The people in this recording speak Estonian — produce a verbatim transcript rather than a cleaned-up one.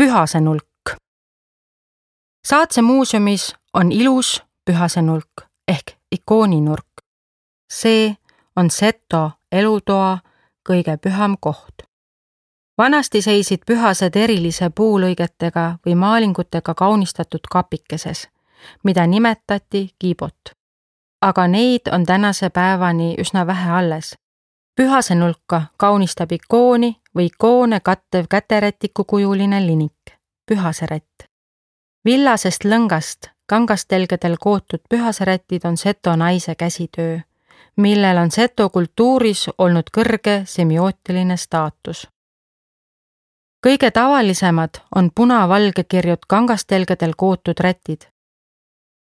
Pühase nulk. Saatse muuseumis on ilus Pühase nulk ehk ikooninurk. See on Seto elutoa kõige püham koht. Vanasti seisid pühased erilise puulõigetega või maalingutega kaunistatud kapikeses, mida nimetati kiibot. Aga neid on tänase päevani üsna vähe alles. Pühase nulka kaunistab ikooni või ikoone kattev käterätiku kujuline linik, pühaserätt. Villasest lõngast kangastelgedel kootud pühaserätid on Seto naise käsitöö, millel on Seto kultuuris olnud kõrge semiootiline staatus. Kõige tavalisemad on punavalge kirjud kangastelgedel kootud rätid,